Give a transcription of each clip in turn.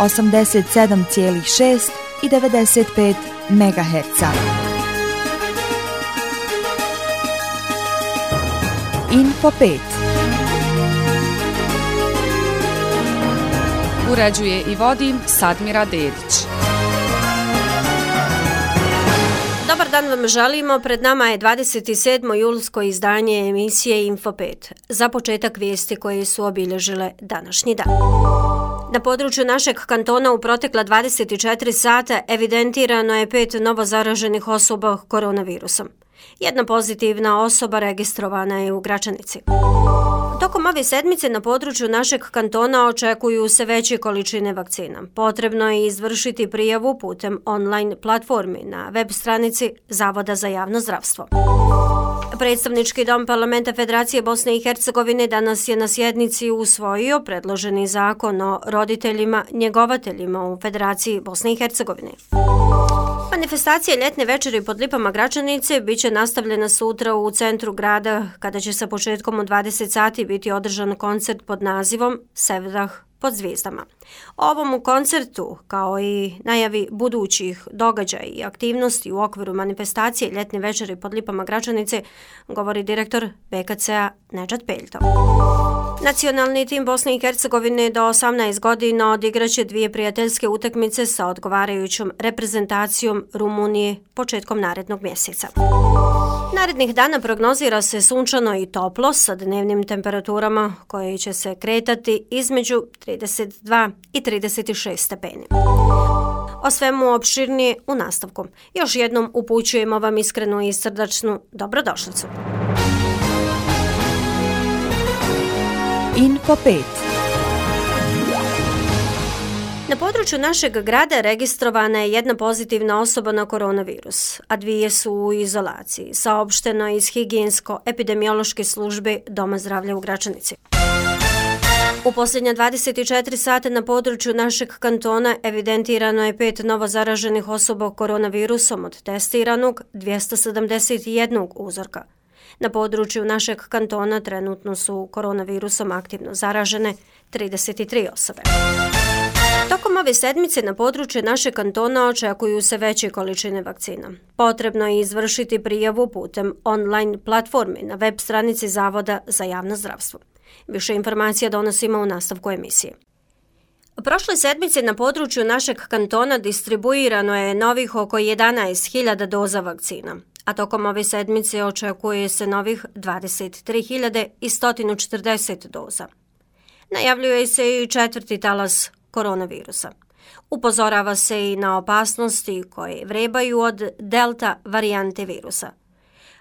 87,6 i 95 MHz. Info 5. Uređuje i vodi Sadmira Dedić. Dobar dan vam želimo, pred nama je 27. julsko izdanje emisije Info 5. Za početak vijesti koje su obilježile današnji dan. Na području našeg kantona u protekla 24 sata evidentirano je 5 novozaraženih osoba koronavirusom. Jedna pozitivna osoba registrovana je u Gračanici. Tokom ove sedmice na području našeg kantona očekuju se veće količine vakcina. Potrebno je izvršiti prijavu putem online platformi na web stranici Zavoda za javno zdravstvo. Predstavnički dom Parlamenta Federacije Bosne i Hercegovine danas je na sjednici usvojio predloženi zakon o roditeljima njegovateljima u Federaciji Bosne i Hercegovine. Manifestacija ljetne večeri pod lipama Gračanice bit će nastavljena sutra u centru grada, kada će sa početkom u 20 sati biti održan koncert pod nazivom Sevdah pod zvijezdama. O ovom koncertu, kao i najavi budućih događaja i aktivnosti u okviru manifestacije ljetne večeri pod lipama Gračanice, govori direktor BKC-a Nedžad Peljto. Nacionalni tim Bosne i Hercegovine do 18 godina odigraće 2 prijateljske utakmice sa odgovarajućom reprezentacijom Rumunije početkom narednog mjeseca. Narednih dana prognozira se sunčano i toplo sa dnevnim temperaturama koje će se kretati između 32 i 36 stepeni. O svemu opširnije u nastavku. Još jednom upućujemo vam iskrenu i srdačnu dobrodošlicu. Info 5. Na području našeg grada registrovana je jedna pozitivna osoba na koronavirus, a 2 su u izolaciji, saopšteno iz higijensko-epidemiološke službe Doma zdravlja u Gračanici. U posljednja 24 sata na području našeg kantona evidentirano je 5 novozaraženih osoba koronavirusom od testiranog 271 uzorka. Na području našeg kantona trenutno su koronavirusom aktivno zaražene 33 osobe. Tokom ove sedmice na području našeg kantona očekuju se veće količine vakcina. Potrebno je izvršiti prijavu putem online platformi na web stranici Zavoda za javno zdravstvo. Više informacija donosimo u nastavku emisije. Prošle sedmice na području našeg kantona distribuirano je novih oko 11.000 doza vakcina, a tokom ove sedmice očekuje se novih 23.140 doza. Najavljuje se i 4. talas koronavirusa. Upozorava se i na opasnosti koje vrebaju od delta varijante virusa.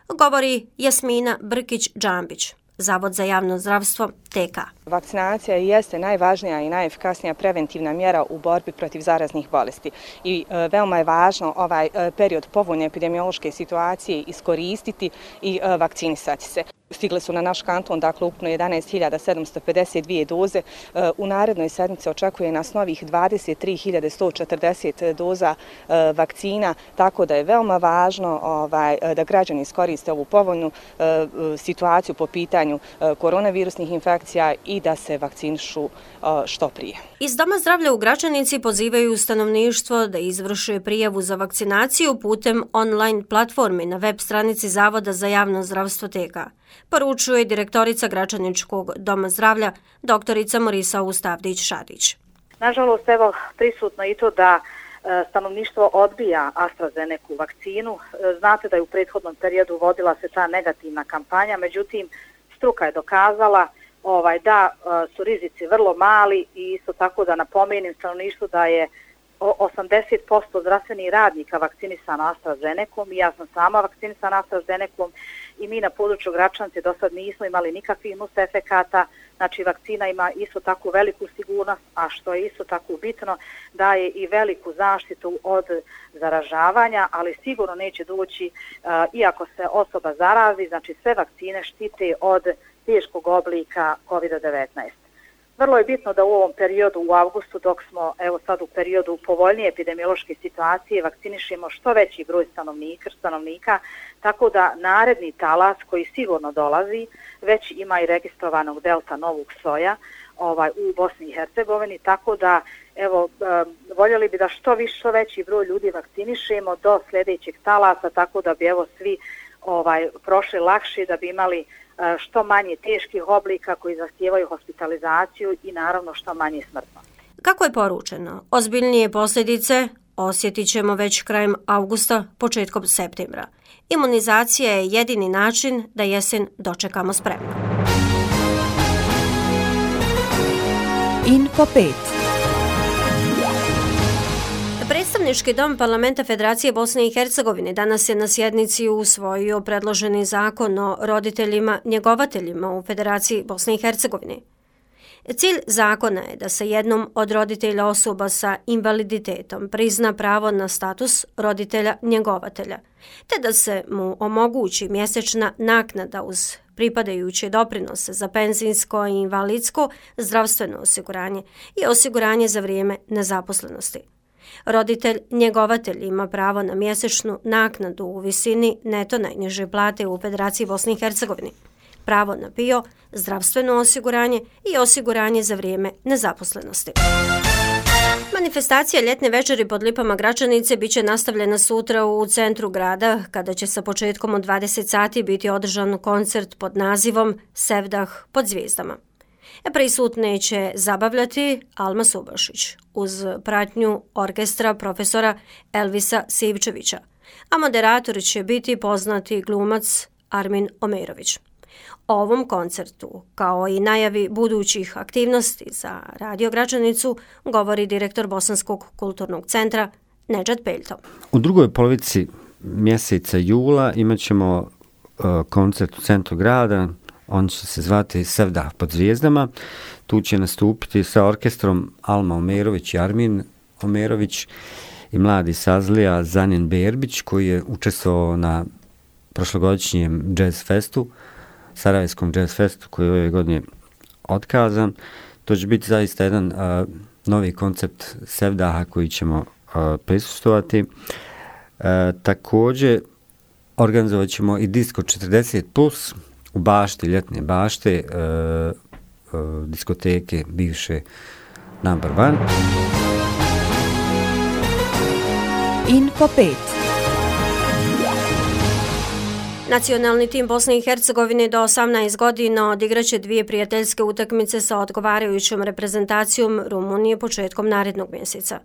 Govori Jasmina Brkić-Džambić, Zavod za javno zdravstvo TK. Vakcinacija jeste najvažnija i najefikasnija preventivna mjera u borbi protiv zaraznih bolesti i veoma je važno ovaj period povoljne epidemiološke situacije iskoristiti i vakcinisati se. Stigle su na naš kanton, dakle ukupno 11.752 doze. U narednoj sedmici očekuje nas novih 23.140 doza vakcina, tako da je veoma važno da građani iskoriste ovu povoljnu situaciju po pitanju koronavirusnih infekcija i da se vakcinišu što prije. Iz Doma zdravlja u Gračanici pozivaju stanovništvo da izvrše prijavu za vakcinaciju putem online platforme na web stranici Zavoda za javno zdravstvo TK. Poručuje direktorica Gračaničkog doma zdravlja, doktorica Morisa Ustavdić-Šadić. Nažalost, evo prisutno i to da stanovništvo odbija AstraZeneca vakcinu. Znate da je u prethodnom periodu vodila se ta negativna kampanja, međutim, struka je dokazala da su rizici vrlo mali i isto tako da napomenem stanovništvu da je 80% zdravstvenih radnika vakcinisano AstraZenecom i ja sam sama vakcinisana AstraZenecom i mi na području Gračanice do sad nismo imali nikakvih nus efekata, znači vakcina ima isto tako veliku sigurnost, a što je isto tako bitno daje i veliku zaštitu od zaražavanja, ali sigurno neće doći, iako se osoba zarazi, znači sve vakcine štite od teškog oblika COVID-19. Vrlo je bitno da u ovom periodu, u avgustu, dok smo evo sad u periodu povoljnije epidemiološke situacije, vakcinišemo što veći broj stanovnika, tako da naredni talas koji sigurno dolazi, već ima i registrovanog delta novog soja, u Bosni i Hercegovini, tako da evo voljeli bi da što veći broj ljudi vakcinišemo do sljedećeg talasa, tako da bi evo svi prošli lakše, da bi imali što manje teških oblika koji zahtijevaju hospitalizaciju i naravno što manje smrtno. Kako je poručeno, ozbiljnije posljedice osjetit ćemo već krajem avgusta, početkom septembra. Imunizacija je jedini način da jesen dočekamo spremno. Info 5. Predstavnički dom Parlamenta Federacije Bosne i Hercegovine danas je na sjednici usvojio predloženi zakon o roditeljima njegovateljima u Federaciji Bosne i Hercegovine. Cilj zakona je da se jednom od roditelja osoba sa invaliditetom prizna pravo na status roditelja njegovatelja, te da se mu omogući mjesečna naknada uz pripadajuće doprinose za penzijsko i invalidsko, zdravstveno osiguranje i osiguranje za vrijeme nezaposlenosti. Roditelj njegovatelj ima pravo na mjesečnu naknadu u visini neto najniže plate u Federaciji Bosne i Hercegovine, pravo na PIO, zdravstveno osiguranje i osiguranje za vrijeme nezaposlenosti. Manifestacija ljetne večeri pod lipama Gračanice bit će nastavljena sutra u centru grada, kada će sa početkom od 20 sati biti održan koncert pod nazivom Sevdah pod zvijezdama. Prisutne će zabavljati Alma Subašić uz pratnju orkestra profesora Elvisa Sivčevića, a moderator će biti poznati glumac Armin Omerović. O ovom koncertu, kao i najavi budućih aktivnosti za Radio Gračanicu, govori direktor Bosanskog kulturnog centra Nedžad Peljto. U drugoj polovici mjeseca jula imat ćemo koncert u centru grada. On će se zvati Sevdah pod zvijezdama. Tu će nastupiti sa orkestrom Alma Omerović i Armin Omerović i mladi sazlija Zanin Berbić, koji je učestvovao na prošlogodišnjem jazz festu, Sarajevskom jazz festu, koji je ove godine otkazan. To će biti zaista jedan novi koncept Sevdaha koji ćemo prisustvovati. Također organizovat ćemo i Disco 40+, u bašti, ljetne bašte, diskoteke bivše Number One. Info 5. Nacionalni tim Bosne i Hercegovine do 18 godina odigraće 2 prijateljske utakmice sa odgovarajućom reprezentacijom Rumunije početkom narednog mjeseca.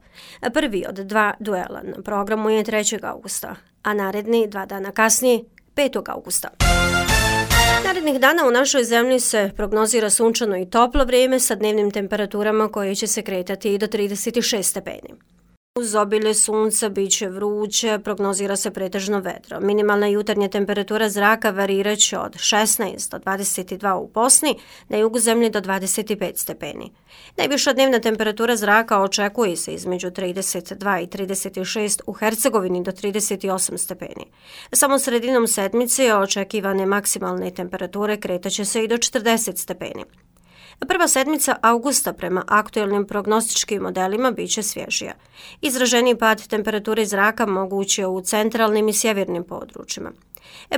Prvi od 2 duela na programu je 3. augusta, a naredni 2 dana kasnije 5. augusta. Narednih dana u našoj zemlji se prognozira sunčano i toplo vrijeme sa dnevnim temperaturama koje će se kretati i do 36 stepeni. Uz obilje sunca bit će vruće, prognozira se pretežno vedro. Minimalna jutarnja temperatura zraka variraće od 16 do 22 u Bosni, na jugu zemlje do 25 stepeni. Najviša dnevna temperatura zraka očekuje se između 32 i 36 u Hercegovini do 38 stepeni. Samo sredinom sedmice očekivane maksimalne temperature kretaće se i do 40 stepeni. Prva sedmica avgusta prema aktualnim prognostičkim modelima bit će svježija. Izraženiji pad temperature zraka moguć je u centralnim i sjevernim područjima.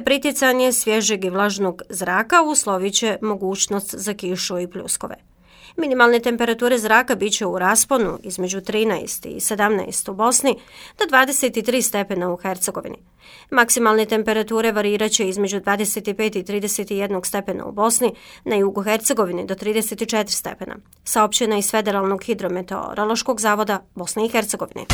Pritjecanje svježeg i vlažnog zraka uslovit će mogućnost za kišu i pljuskove. Minimalne temperature zraka bit će u rasponu između 13 i 17 u Bosni do 23 stepena u Hercegovini. Maksimalne temperature variraće između 25 i 31 stepena u Bosni, na jugu Hercegovine do 34 stepena. Saopćena iz Federalnog hidrometeorološkog zavoda Bosne i Hercegovine.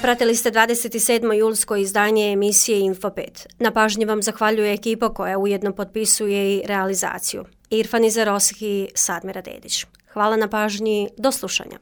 Pratili ste 27. julsko izdanje emisije Info 5. Na pažnji vam zahvaljuje ekipa koja ujedno potpisuje i realizaciju. Irfan Izeroski i Sadmira Dedić. Hvala na pažnji, do slušanja.